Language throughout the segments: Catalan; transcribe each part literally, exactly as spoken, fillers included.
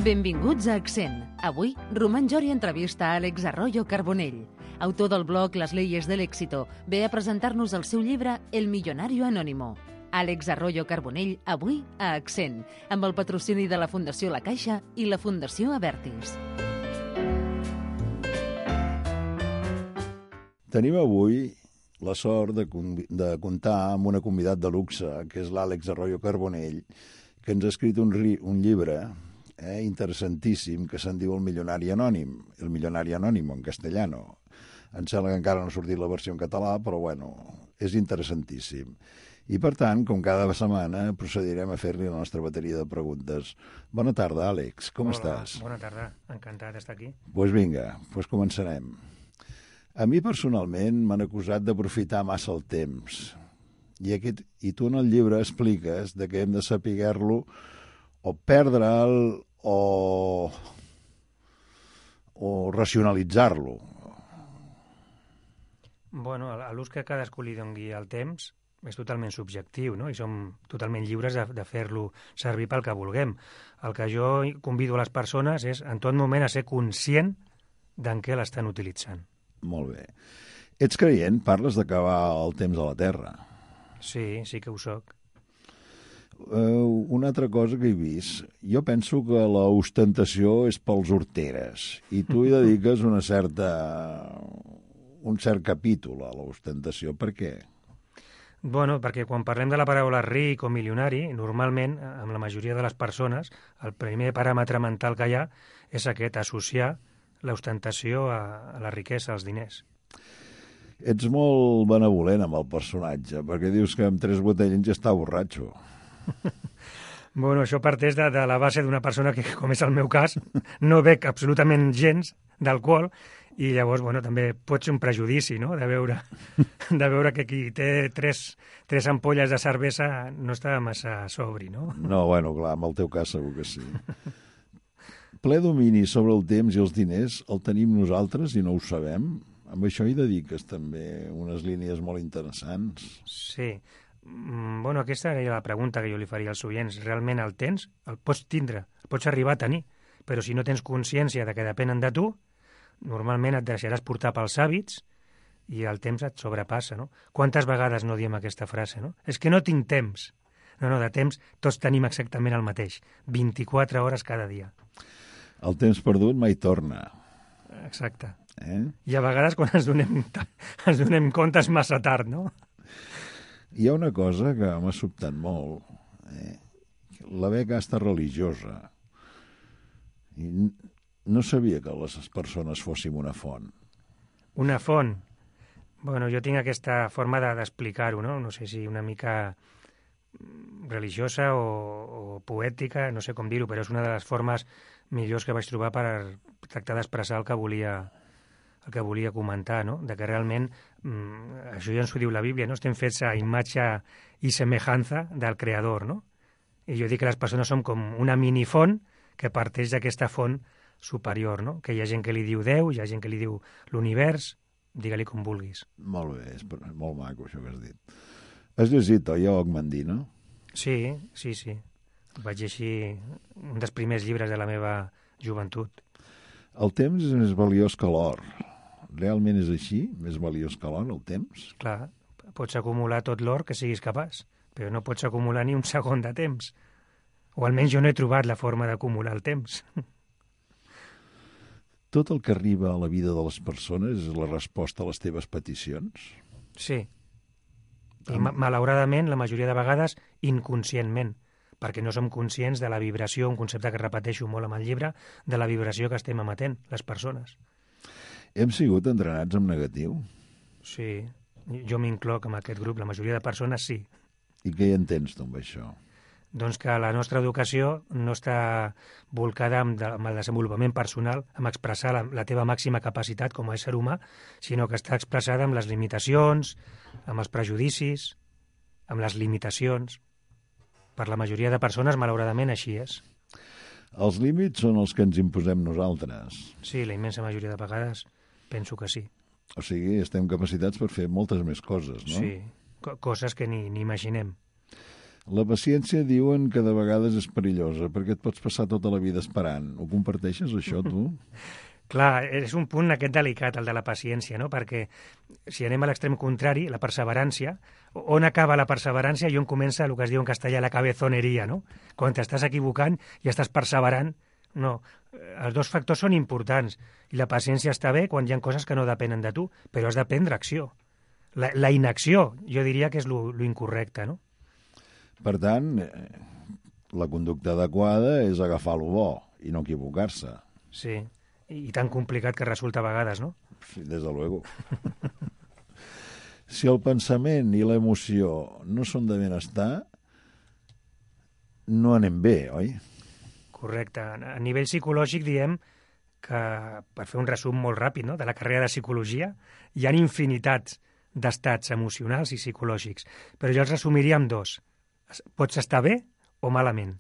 Benvinguts a Accent. Avui, Roman Jori entrevista a Àlex Arroyo Carbonell, autor del blog Las leyes del éxito. Ve a presentar-nos el seu llibre El millonario anónimo. Àlex Arroyo Carbonell, avui a Accent, amb el patrocini de la Fundació La Caixa i la Fundació Abertis. Tenim avui la sort de, de comptar amb una convidat de luxe, que és l'Àlex Arroyo Carbonell, que ens ha escrit un, un llibre eh, interessantíssim que se'n diu El milionari anònim, El milionari anònimo en castellano. Em sembla que encara no ha sortit la versió en català, però bueno, és interessantíssim. I per tant, com cada setmana, procedirem a fer-li la nostra bateria de preguntes. Bona tarda, Àlex, com Hola, estàs? Bona tarda, encantat d'estar aquí. Doncs pues vinga, pues començarem. A mi personalment m'han acusat d'aprofitar massa el temps. I, aquest, I tu en el llibre expliques de que hem de saber-lo o perdre'l o, o racionalitzar-lo. Bueno, a l'ús que cadascú li doni el temps és totalment subjectiu, no? I som totalment lliures de, de fer-lo servir pel que vulguem. El que jo convido a les persones és en tot moment a ser conscient d'en què l'estan utilitzant. Molt bé. Ets creient? Parles d'acabar el temps a la Terra. Sí, sí que ho soc. Uh, una altra cosa que he vist. Jo penso que la ostentació és pels horteres i tu hi dediques una certa, un cert capítol a la ostentació. Per què? Bueno, perquè quan parlem de la paraula ric o milionari, normalment, amb la majoria de les persones, el primer paràmetre mental que hi ha és aquest, associar l'ostentació a, a la riquesa, als diners. Ets molt benevolent amb el personatge, perquè dius que amb tres botellins ja està borratxo. Bueno, això parteix de, de la base d'una persona que, com és el meu cas, no bec absolutament gens d'alcohol i llavors, bueno, també pot ser un prejudici, no?, de veure, de veure que qui té tres, tres ampolles de cervesa no està massa sobri, no? No, bueno, clar, en el teu cas segur que sí. Ple domini sobre el temps i els diners el tenim nosaltres i no ho sabem. Amb això hi dediques també unes línies molt interessants. Sí. Mm, bueno, aquesta era la pregunta que jo li faria als oients. Realment el tens? El pots tindre, el pots arribar a tenir, però si no tens consciència de que depenen de tu, normalment et deixaràs portar pels hàbits i el temps et sobrepassa, no? Quantes vegades no diem aquesta frase, no? És que no tinc temps. No, no, de temps tots tenim exactament el mateix. vint-i-quatre hores cada dia. El temps perdut mai torna. Exacte. Eh? I a vegades quan ens donem, ens donem compte és massa tard, no? Hi ha una cosa que m'ha sobtat molt. Eh? La beca està religiosa. I no sabia que les persones fóssim una font. Una font? Bueno, jo tinc aquesta forma de, d'explicar-ho, no? No sé si una mica religiosa o, o poètica, no sé com dir-ho, però és una de les formes millors que vaig trobar per tractar d'expressar el que volia el que volia comentar, no? De que realment, mmm, això ja ens ho diu la Bíblia, no? Estem fets a imatge i semejança del Creador, no? I jo dic que les persones som com una minifont que parteix d'aquesta font superior, no? Que hi ha gent que li diu Déu, hi ha gent que li diu l'univers, digue-li com vulguis. Molt bé, és molt maco això que has dit. Has llegit, oi, Ogmandino? Sí, sí, sí. Vaig llegir un dels primers llibres de la meva joventut. El temps és més valiós que l'or. Realment és així? Més valiós que l'or, el temps? Clar, pots acumular tot l'or que siguis capaç, però no pots acumular ni un segon de temps. O almenys jo no he trobat la forma d'acumular el temps. Tot el que arriba a la vida de les persones és la resposta a les teves peticions? Sí. I ma- malauradament, la majoria de vegades, inconscientment, perquè no som conscients de la vibració, un concepte que repeteixo molt amb el llibre, de la vibració que estem emetent, les persones. Hem sigut entrenats en negatiu? Sí, jo m'incloc en aquest grup, la majoria de persones sí. I què hi entens tu amb això? Doncs que la nostra educació no està volcada amb, de, amb el desenvolupament personal, amb expressar la, la teva màxima capacitat com a ésser humà, sinó que està expressada amb les limitacions, amb els prejudicis, amb les limitacions. Per la majoria de persones, malauradament, així és. Els límits són els que ens imposem nosaltres. Sí, la immensa majoria de vegades penso que sí. O sigui, estem capacitats per fer moltes més coses, no? Sí, co- coses que ni, ni imaginem. La paciència diuen que de vegades és perillosa, perquè et pots passar tota la vida esperant. Ho comparteixes, això, tu? Clar, és un punt aquest delicat, el de la paciència, no? Perquè si anem a l'extrem contrari, la perseverància, on acaba la perseverància i on comença el que es diu en castellà la cabezoneria, no? Quan t'estàs equivocant i estàs perseverant, no. Els dos factors són importants i la paciència està bé quan hi ha coses que no depenen de tu, però has de prendre acció. La, la inacció, jo diria que és lo, lo incorrecte, no? Per tant, la conducta adequada és agafar lo bo i no equivocar-se. Sí, i tan complicat que resulta a vegades, no? Sí, des de luego. Si el pensament i l'emoció no són de benestar, no anem bé, oi? Correcte. A nivell psicològic diem que, per fer un resum molt ràpid, no?, de la carrera de psicologia, hi ha infinitats d'estats emocionals i psicològics, però jo els resumiria en dos. Pots estar bé o malament.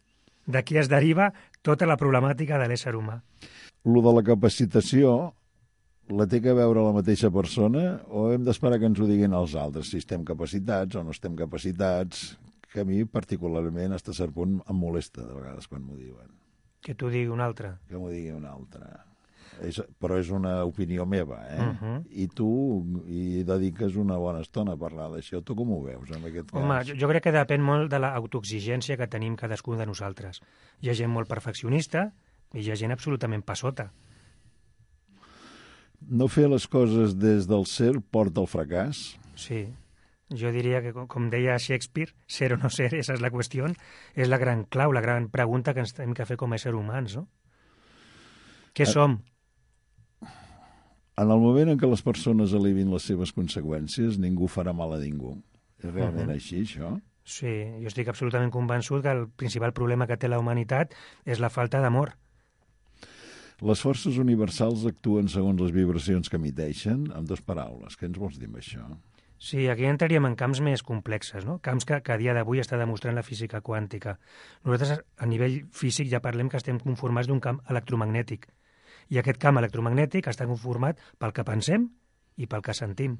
D'aquí es deriva tota la problemàtica de l'ésser humà. Lo de la capacitació la té que veure la mateixa persona o hem d'esperar que ens ho diguin els altres, si estem capacitats o no estem capacitats, que a mi particularment fins a cert punt em molesta de vegades quan m'ho diuen. Que t'ho digui un altre. Que m'ho digui un altre. És, però és una opinió meva, eh? Uh -huh. I tu hi dediques una bona estona a parlar d'això. Tu com ho veus, en aquest cas? Home, jo, jo crec que depèn molt de l'autoexigència que tenim cadascun de nosaltres. Hi ha gent molt perfeccionista i hi ha gent absolutament passota. No fer les coses des del ser porta al fracàs? Sí. Jo diria que, com deia Shakespeare, ser o no ser, esa és la qüestió, és la gran clau, la gran pregunta que ens hem de fer com a éssers humans, no? Què A... som? En el moment en què les persones elevin les seves conseqüències, ningú farà mal a ningú. És realment uh -huh. així, això? Sí, jo estic absolutament convençut que el principal problema que té la humanitat és la falta d'amor. Les forces universals actuen segons les vibracions que emiteixen, amb dues paraules. Què ens vols dir amb això? Sí, aquí entraríem en camps més complexes, no? Camps que, que a dia d'avui està demostrant la física quàntica. Nosaltres, a nivell físic, ja parlem que estem conformats d'un camp electromagnètic. I aquest camp electromagnètic està conformat pel que pensem i pel que sentim.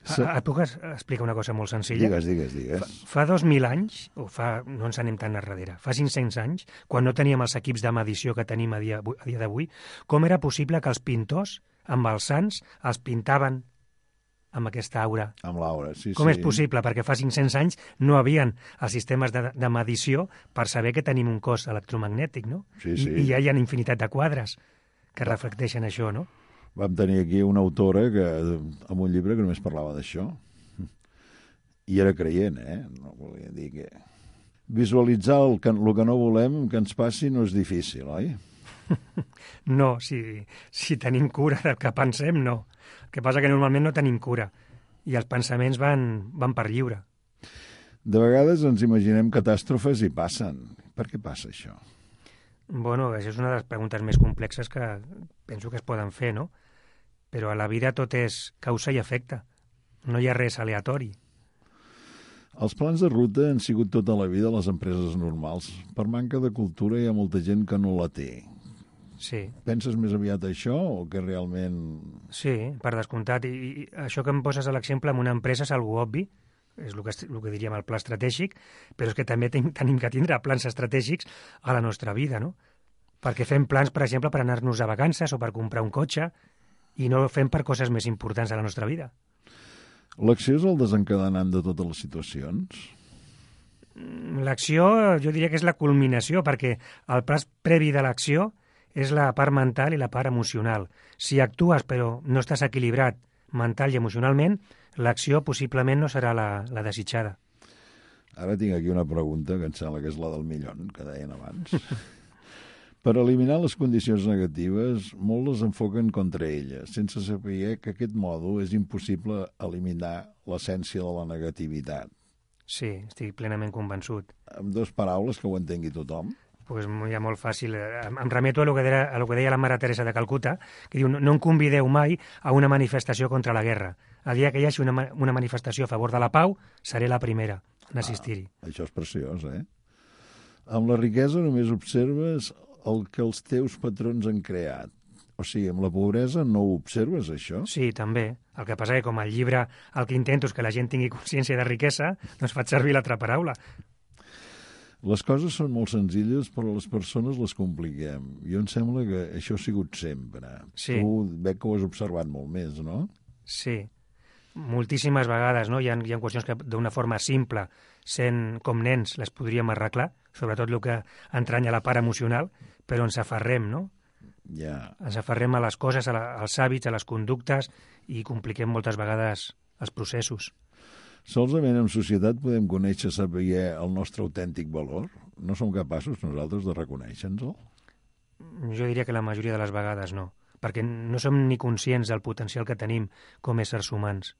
Sí. Et puc explicar una cosa molt senzilla? Digues, digues, digues. Fa, fa dos mil anys, o fa, no ens anem tan enrere, fa cinc-cents anys, quan no teníem els equips de medició que tenim a dia, a dia d'avui, com era possible que els pintors, amb els sants, els pintaven amb aquesta aura? Amb l'aura, sí, Com sí. és possible? Perquè fa cinc-cents anys no havien els sistemes de, de medició per saber que tenim un cos electromagnètic, no? Sí, sí. I, I ja hi ha infinitat de quadres que reflecteixen això, no? Vam tenir aquí una autora que, amb un llibre que només parlava d'això. I era creient, eh? No volia dir que... Visualitzar el que, el que no volem que ens passi no és difícil, oi? No, si, si tenim cura del que pensem, no. El que passa que normalment no tenim cura i els pensaments van, van per lliure. De vegades ens imaginem catàstrofes i passen. Per què passa això? Bueno, això és una de les preguntes més complexes que penso que es poden fer, no? Però a la vida tot és causa i efecte. No hi ha res aleatori. Els plans de ruta han sigut tota la vida a les empreses normals. Per manca de cultura hi ha molta gent que no la té. Sí. Penses més aviat això o que realment... Sí, per descomptat. I, i això que em poses a l'exemple amb una empresa és algo obvi, és el que, el que diríem el pla estratègic, però és que també ten, tenim que tindre plans estratègics a la nostra vida, no? Perquè fem plans, per exemple, per anar-nos a vacances o per comprar un cotxe i no fem per coses més importants a la nostra vida. L'acció és el desencadenant de totes les situacions? L'acció jo diria que és la culminació, perquè el pas previ de l'acció és la part mental i la part emocional. Si actues però no estàs equilibrat mental i emocionalment, l'acció possiblement no serà la, la desitjada. Ara tinc aquí una pregunta que em sembla que és la del millón, que deien abans. Per eliminar les condicions negatives, molts les enfoquen contra elles, sense saber que aquest mòdul és impossible eliminar l'essència de la negativitat. Sí, estic plenament convençut. Amb dues paraules que ho entengui tothom. Pues ja molt fàcil. Em, em remeto a lo, que deia, a lo que deia la Mare Teresa de Calcuta, que diu, no, no em convideu mai a una manifestació contra la guerra. El dia que hi hagi una, una manifestació a favor de la pau, seré la primera en assistir-hi. Ah, això és preciós, eh? Amb la riquesa només observes el que els teus patrons han creat. O sigui, amb la pobresa no ho observes, això? Sí, també. El que passa que com el llibre el que intento és que la gent tingui consciència de riquesa, doncs faig servir l'altra paraula. Les coses són molt senzilles, però les persones les compliquem. Jo em sembla que això ha sigut sempre. Sí. Tu veig que ho has observat molt més, no? Sí. Moltíssimes vegades, no? Hi ha, hi ha qüestions que d'una forma simple, sent com nens, les podríem arreglar, sobretot el que entranya la part emocional, però ens aferrem, no? Ja. Ens aferrem a les coses, a la, als hàbits, a les conductes i compliquem moltes vegades els processos. Solament en societat podem conèixer, saber el nostre autèntic valor? No som capaços nosaltres de reconèixer-nos-el? Jo diria que la majoria de les vegades no, perquè no som ni conscients del potencial que tenim com éssers humans.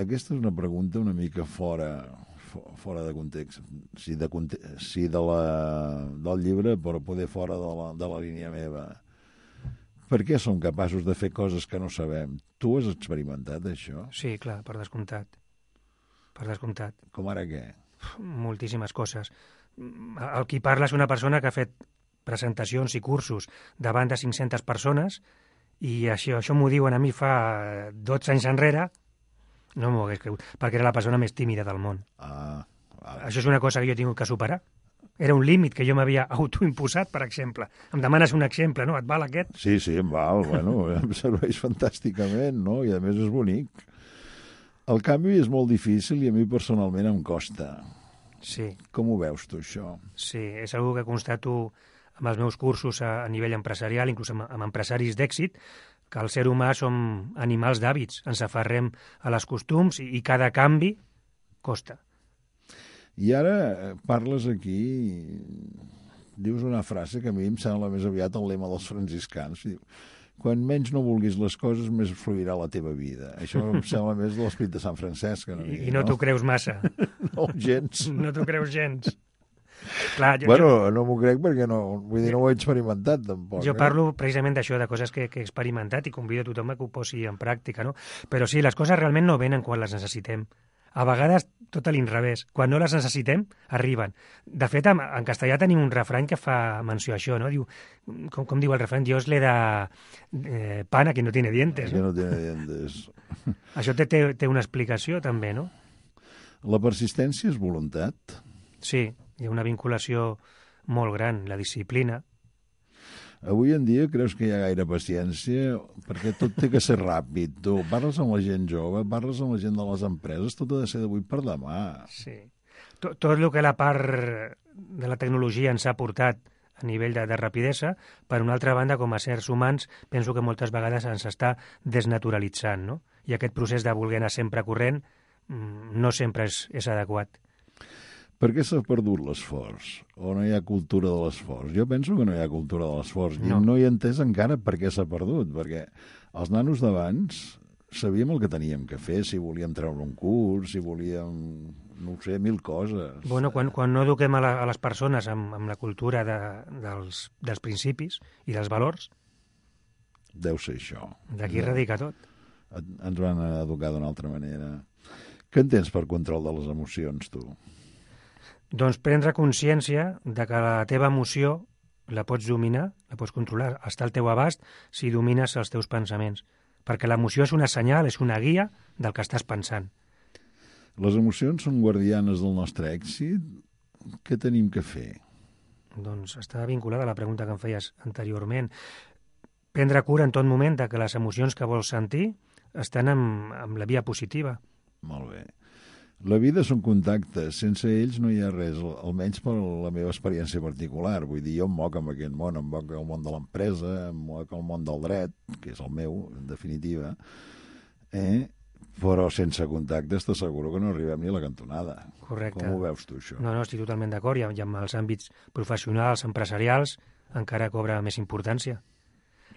Aquesta és una pregunta una mica fora, fora de context, sí, de, sí de la, del llibre, però poder fora de la, de la línia meva. Per què som capaços de fer coses que no sabem? Tu has experimentat això? Sí, clar, per descomptat. Per descomptat. Com ara què? Moltíssimes coses. El qui parla és una persona que ha fet presentacions i cursos davant de cinc-centes persones i això, això m'ho diuen a mi fa dotze anys enrere, no m'ho hagués cregut, perquè era la persona més tímida del món. Ah, vale. Això és una cosa que jo he tingut que superar. Era un límit que jo m'havia autoimposat, per exemple. Em demanes un exemple, no? Et val aquest? Sí, sí, em val. Bueno, em serveix fantàsticament, no? I a més és bonic. El canvi és molt difícil i a mi personalment em costa. Sí. Com ho veus tu, això? Sí, és una que constato amb els meus cursos a, a nivell empresarial, inclús amb, amb empresaris d'èxit, que el ser humà som animals d'hàbits. Ens aferrem a les costums i, i cada canvi costa. I ara parles aquí, dius una frase que a mi em sembla més aviat el lema dels franciscans. Quan menys no vulguis les coses, més fluirà la teva vida. Això em sembla més de l'esperit de Sant Francesc. No? I, I no, no? t'ho creus massa. No, gens. No t'ho creus gens. Clar, jo, bueno, jo... no m'ho crec perquè no, vull dir, no ho he experimentat tampoc. Jo eh? parlo precisament d'això, de coses que, que he experimentat i convido a tothom a que ho posi en pràctica, no? Però sí, les coses realment no venen quan les necessitem. A vegades tot a l'inrevés. Quan no les necessitem, arriben. De fet, en, en castellà tenim un refrany que fa menció a això, no? Diu, com, com diu el refrany? Dios le da eh, pan a quien no tiene dientes. A quien no tiene dientes. Això té, té, té una explicació, també, no? La persistència és voluntat? Sí, hi ha una vinculació molt gran, la disciplina. Avui en dia creus que hi ha gaire paciència? Perquè tot té que ser ràpid. Tu parles amb la gent jove, parles amb la gent de les empreses, tot ha de ser d'avui per demà. Sí. Tot, tot el que la part de la tecnologia ens ha portat a nivell de, de rapidesa, per una altra banda, com a éssers humans, penso que moltes vegades ens està desnaturalitzant, no? I aquest procés de voler anar sempre corrent no sempre és, és adequat. Per què s'ha perdut l'esforç? O no hi ha cultura de l'esforç? Jo penso que no hi ha cultura de l'esforç. No. I no hi he entès encara per què s'ha perdut, perquè els nanos d'abans sabíem el que teníem que fer, si volíem treure un curs, si volíem, no ho sé, mil coses. Bueno, quan, quan no eduquem a, la, a les persones amb, amb la cultura de, dels, dels principis i dels valors... Deu ser això. D'aquí radica tot. Ens van educar d'una altra manera. Què entens per control de les emocions, tu? Doncs prendre consciència de que la teva emoció la pots dominar, la pots controlar, està al teu abast si domines els teus pensaments. Perquè l'emoció és una senyal, és una guia del que estàs pensant. Les emocions són guardianes del nostre èxit? Què tenim que fer? Doncs està vinculada a la pregunta que em feies anteriorment. Prendre cura en tot moment de que les emocions que vols sentir estan amb, amb la via positiva. Molt bé. La vida són contactes, sense ells no hi ha res, almenys per la meva experiència particular. Vull dir, jo em moc amb aquest món, em moc el món de l'empresa, em moc el món del dret, que és el meu, en definitiva, eh? Però sense contactes t'asseguro que no arribem ni a la cantonada. Correcte. Com ho veus tu, això? No, no, estic totalment d'acord, i amb els àmbits professionals, empresarials, encara cobra més importància.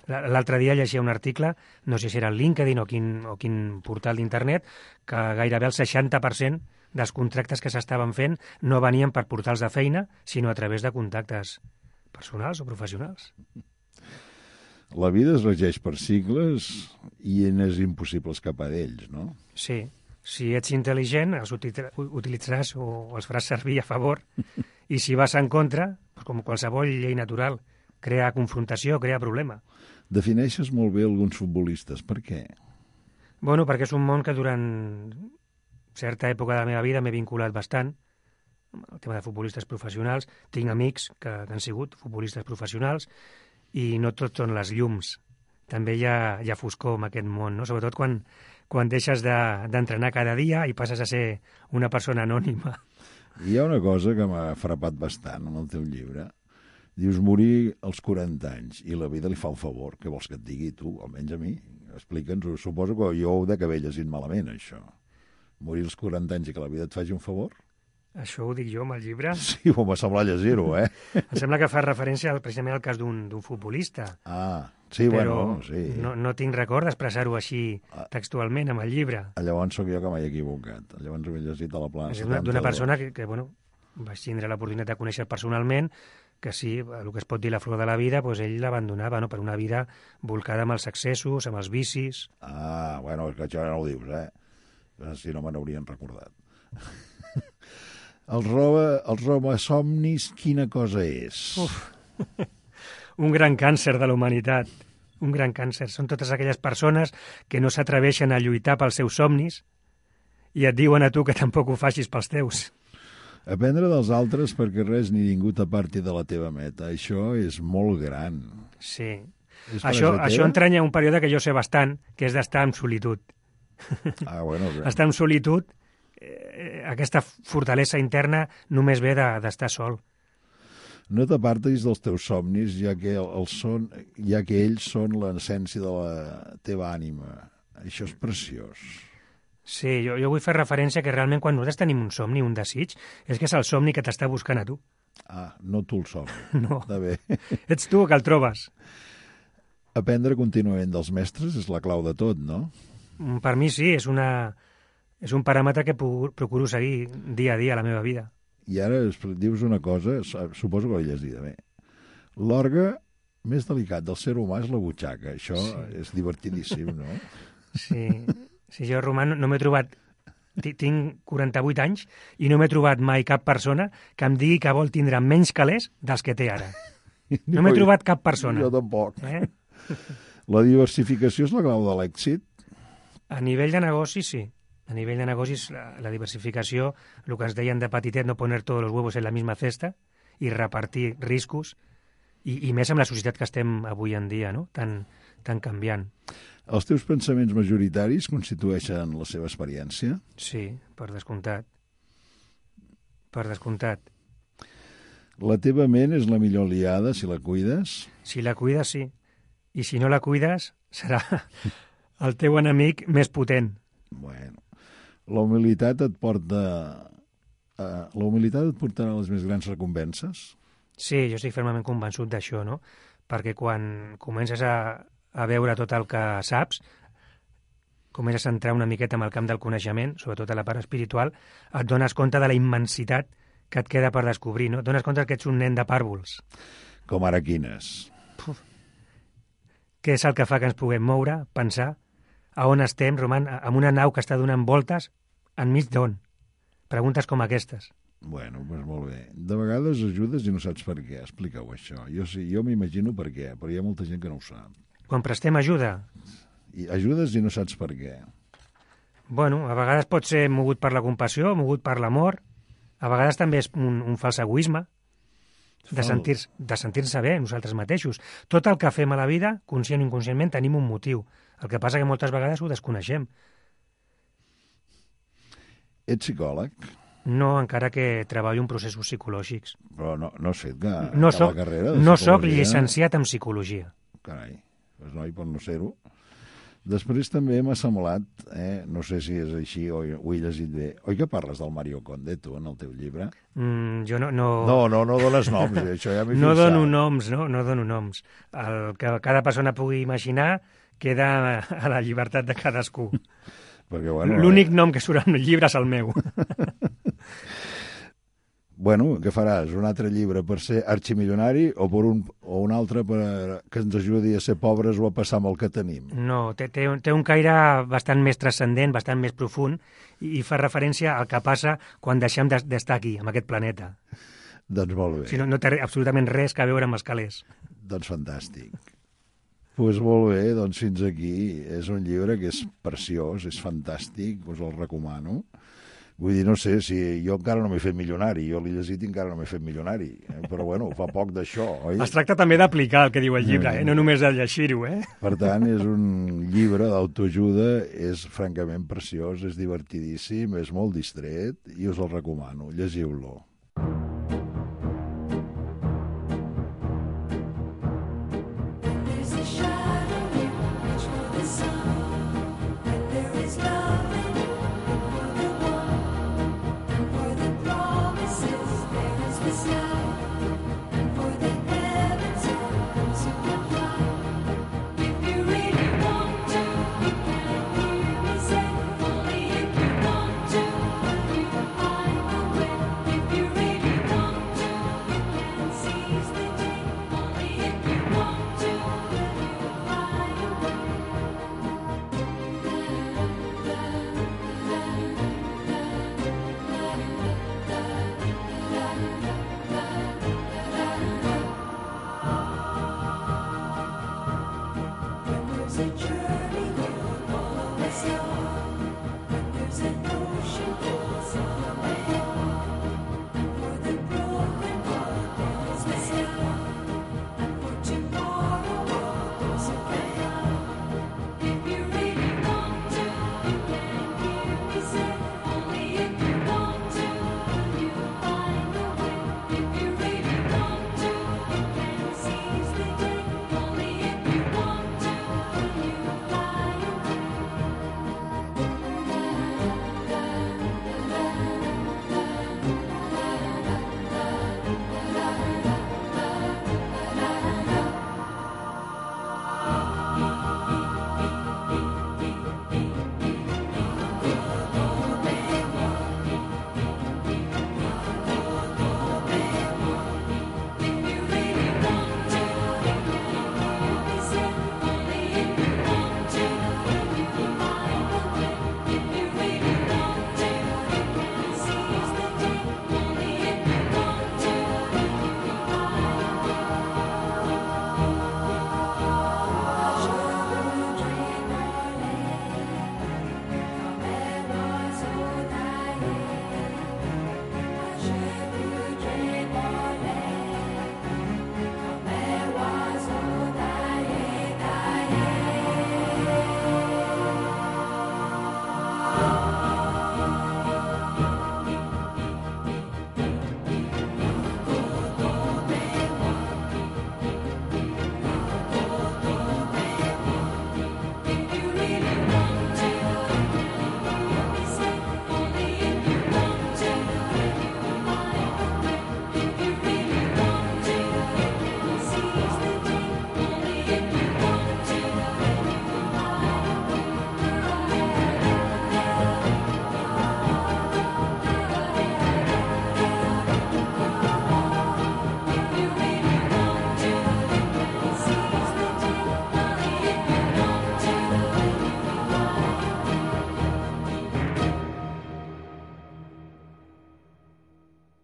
L'altre dia llegia un article, no sé si era el LinkedIn o quin, o quin portal d'internet, que gairebé el seixanta per cent dels contractes que s'estaven fent no venien per portals de feina, sinó a través de contactes personals o professionals. La vida es regeix per cicles i és impossible escapar d'ells, no? Sí. Si ets intel·ligent, els utilitzaràs o els faràs servir a favor, i si vas en contra, com qualsevol llei natural crea confrontació, crea problema. Defineixes molt bé alguns futbolistes. Per què? Bueno, perquè és un món que durant certa època de la meva vida m'he vinculat bastant el tema de futbolistes professionals. Tinc amics que, que han sigut futbolistes professionals i no tots són les llums. També hi ha, hi ha foscor en aquest món, no? Sobretot quan, quan deixes d'entrenar de, cada dia i passes a ser una persona anònima. Hi ha una cosa que m'ha frapat bastant en el teu llibre. Dius morir als quaranta anys i la vida li fa un favor. Què vols que et digui tu, almenys a mi? Explica'ns-ho. Suposo que jo ho de que haver llegit malament, això. Morir als quaranta anys i que la vida et faci un favor? Això ho dic jo amb el llibre? Sí, ho m'ha semblat llegir-ho, eh? Em sembla que fa referència precisament al cas d'un futbolista. Ah, sí, però bueno, sí. No, no tinc record d'expressar-ho així textualment amb el llibre. Llavors sóc jo que m'he equivocat. Llavors ho he llegit a la plana. És d'una persona que, que, bueno, vaig tindre l'oportunitat de conèixer personalment, que sí, el que es pot dir la flor de la vida, doncs ell l'abandonava, no?, per una vida volcada amb els excessos, amb els vicis. Ah, bueno, és que això no ho dius, eh? Si no me n'haurien recordat. El roba, els roba somnis, quina cosa és? Uf. Un gran càncer de la humanitat. Un gran càncer. Són totes aquelles persones que no s'atreveixen a lluitar pels seus somnis i et diuen a tu que tampoc ho facis pels teus. Aprendre dels altres perquè res ni ningú t'aparti de la teva meta. Això és molt gran. Sí. Això, això entranya un període que jo sé bastant, que és d'estar en solitud. Ah, bueno, bé. Estar en solitud, eh, aquesta fortalesa interna només ve d'estar de, sol. No t'apartis dels teus somnis, ja que, els són, ja que ells són l'essència de la teva ànima. Això és preciós. Sí, jo, jo vull fer referència que realment quan nosaltres tenim un somni, un desig, és que és el somni que t'està buscant a tu. Ah, no tu el somni. No. Està bé. Ets tu que el trobes. Aprendre contínuament dels mestres és la clau de tot, no? Per mi sí, és, una, és un paràmetre que procuro seguir dia a dia a la meva vida. I ara dius una cosa, suposo que l'he llegida bé. L'òrgan més delicat del ser humà és la butxaca. Això sí. És divertidíssim, no? Sí. Sí, jo, Roman, no m'he trobat... Tinc quaranta-vuit anys i no m'he trobat mai cap persona que em digui que vol tindre menys calés dels que té ara. No m'he trobat cap persona. Jo tampoc. Eh? La diversificació és la clau de l'èxit? A nivell de negoci, sí. A nivell de negocis, la, la diversificació, el que ens deien de petitet, no poner tots els huevos en la misma cesta i repartir riscos, i, i més amb la societat que estem avui en dia, no?, tan, tan canviant. Els teus pensaments majoritaris constitueixen la seva experiència? Sí, per descomptat. Per descomptat. La teva ment és la millor aliada si la cuides? Si la cuides, sí. I si no la cuides, serà el teu enemic més potent. Bueno, la humilitat et porta... Uh, la humilitat et portarà a les més grans recompenses? Sí, jo estic fermament convençut d'això, no? Perquè quan comences a, a veure tot el que saps, comences a entrar una miqueta en el camp del coneixement, sobretot a la part espiritual, et dones compte de la immensitat que et queda per descobrir, no? Et dones compte que ets un nen de pàrvols. Com ara quines? Puf. Què és el que fa que ens puguem moure, pensar, a on estem, Roman, amb una nau que està donant voltes, enmig d'on? Preguntes com aquestes. Bueno, doncs molt bé. De vegades ajudes i no saps per què. Explica-ho, això. Jo sí, jo m'imagino per què, però hi ha molta gent que no ho sap. Quan prestem ajuda? I ajudes i no saps per què. Bueno, a vegades pot ser mogut per la compassió, mogut per l'amor. A vegades també és un, un fals egoisme de sentir-se de sentir-se bé nosaltres mateixos. Tot el que fem a la vida, conscient o inconscientment, tenim un motiu. El que passa que moltes vegades ho desconeixem. Ets psicòleg? No, encara que treballo en processos psicològics. Però no, no sé, que, no que soc, la carrera de No psicologia... soc llicenciat en psicologia. Carai, doncs noi, per no ser-ho. Després també m'ha semblat, eh, no sé si és així o ho he llegit bé, oi que parles del Mario Conde, tu, en el teu llibre? Mm, jo no... No, no, no, no dones noms, eh, això ja m'he no fixat. dono noms, no? No dono noms. El que cada persona pugui imaginar queda a la llibertat de cadascú. Perquè, bueno, l'únic nom que surt en el llibre és el meu. Bueno, què faràs? Un altre llibre per ser arximilionari o, per un, o un altre per que ens ajudi a ser pobres o a passar amb el que tenim? No, té, té, té un caire bastant més transcendent, bastant més profund, i, i fa referència al que passa quan deixem d'estar aquí, en aquest planeta. Doncs molt bé. Si no, no té absolutament res que veure amb els calés. Doncs fantàstic. Doncs pues molt bé, doncs fins aquí. És un llibre que és preciós, és fantàstic, us el recomano. Vull dir, no sé, si jo encara no m'he fet milionari, jo l'he llegit i encara no m'he fet milionari, eh? Però bueno, fa poc d'això, oi? Es tracta també d'aplicar el que diu el llibre, eh? No només de llegir-ho, eh? Per tant, és un llibre d'autoajuda, és francament preciós, és divertidíssim, és molt distret i us el recomano, llegiu-lo.